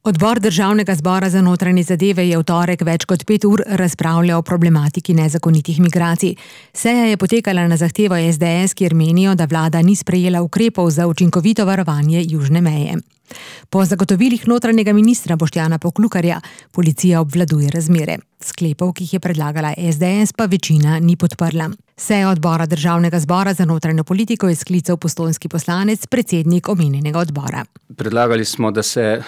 Odbor Državnega zbora za notranje zadeve je v torek več kot 5 ur razpravljal o problematiki nezakonitih migracij. Seja je potekala na zahtevo SDS, kjer menijo, da vlada ni sprejela ukrepov za učinkovito varovanje južne meje. Po zagotovilih notranjega ministra Boštjana Poklukarja policija obvladuje razmere. Sklepov, ki jih je predlagala SDS, pa večina ni podprla. Sejo odbora Državnega zbora za notranjo politiko je sklical postojnski poslanec, predsednik omenjenega odbora. Predlagali smo, da se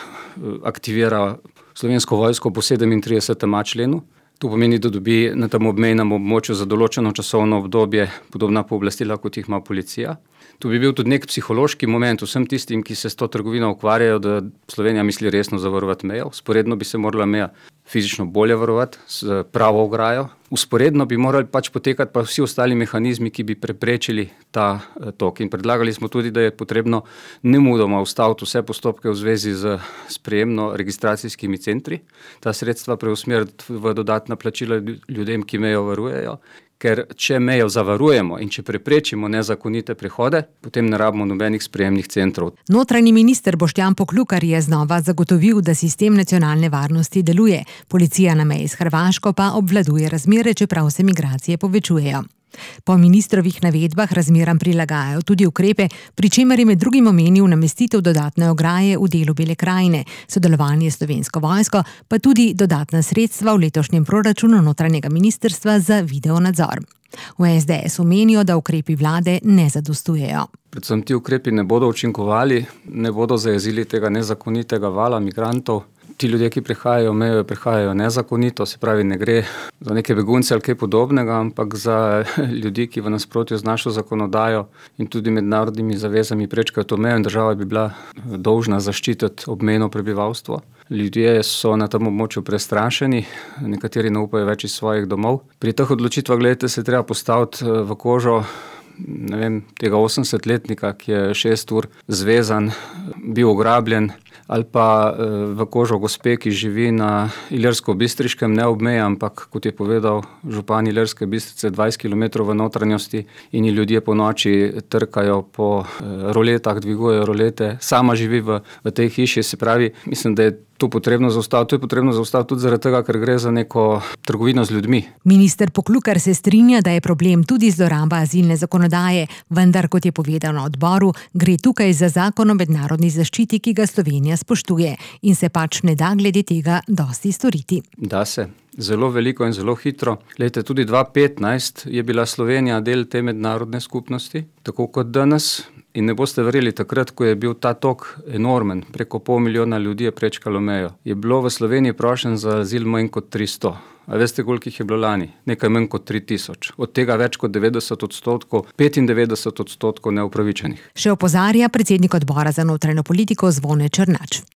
aktivira Slovensko vojsko po 37. členu. To pomeni, da dobi na tem obmejnem območju za določeno časovno obdobje podobna pooblastila, kot jih ima policija. To bi bil tudi nek psihološki moment vsem tistim, ki se s to trgovino ukvarjajo, da Slovenija misli resno zavarovati mejo. Vzporedno bi se morala meja fizično bolje varovati s pravo ograjo. Vzporedno bi morali potekati pa vsi ostali mehanizmi, ki bi preprečili ta tok. In predlagali smo tudi, da je potrebno nemudoma ustaviti vse postopke v zvezi z sprejemno-registracijskimi centri. Ta sredstva preusmeriti v dodatna plačila ljudem, ki mejo varujejo. Ker če mejo zavarujemo in če preprečimo nezakonite prehode, potem ne rabimo nobenih sprejemnih centrov. Notranji minister Boštjan Poklukar je znova zagotovil, da sistem nacionalne varnosti deluje. Policija na meji s Hrvaško pa obvladuje razmere, čeprav se migracije povečujejo. Po ministrovih navedbah razmeram prilagajajo tudi ukrepe, pri čemer je med drugim omenil namestitev dodatne ograje v delu Bele krajine, sodelovanje s Slovensko vojsko, pa tudi dodatna sredstva v letošnjem proračunu notranjega ministrstva za videonadzor. V SDS menijo, da ukrepi vlade ne zadostujejo. Predvsem ti ukrepi ne bodo učinkovali, ne bodo zajezili tega nezakonitega vala migrantov. Ti ljudje, ki prehajajo nezakonito, se pravi, ne gre za neke begunce ali kaj podobnega, ampak za ljudi, ki v nasprotju z našo zakonodajo in tudi mednarodnimi zavezami prečkajo to mejo, in država bi bila dolžna zaščititi obmejno prebivalstvo. Ljudje so na tem območju prestrašeni, nekateri ne upajo več iz svojih domov. Pri teh odločitvah, se treba postaviti v kožo tega 80-letnika, ki je 6 ur zvezan, bil ograbljen, ali pa v kožo gospe, ki živi na Ilirsko-Bistriškem, ne ob meji, ampak, kot je povedal župan Ilirske Bistrice, 20 km v notranjosti, in ljudje po noči trkajo po roletah, dvigujejo rolete, sama živi v tej hiši. Se pravi, mislim, da je to potrebno zaustaviti. To je potrebno zaustaviti tudi zaradi tega, ker gre za neko trgovino z ljudmi. Minister Poklukar se strinja, da je problem tudi zloraba azilne zakonodaje, vendar, kot je povedal na odboru, gre tukaj za zakon o mednarodni zaščiti, ki ga Slovenija spoštuje, in se ne da glede tega dosti storiti. Da se. Zelo veliko in zelo hitro. Tudi 2015 je bila Slovenija del te mednarodne skupnosti, tako kot danes. In ne boste verjeli, takrat, ko je bil ta tok enormen, preko 500 000 ljudi je prečkalo mejo, je bilo v Sloveniji prošenj za azil manj kot 300. A veste, koliko jih je bilo lani? Nekaj manj kot 3000. Od tega več kot 90%, 95% neupravičenih. Še opozarja predsednik odbora za notranjo politiko Zvone Černač.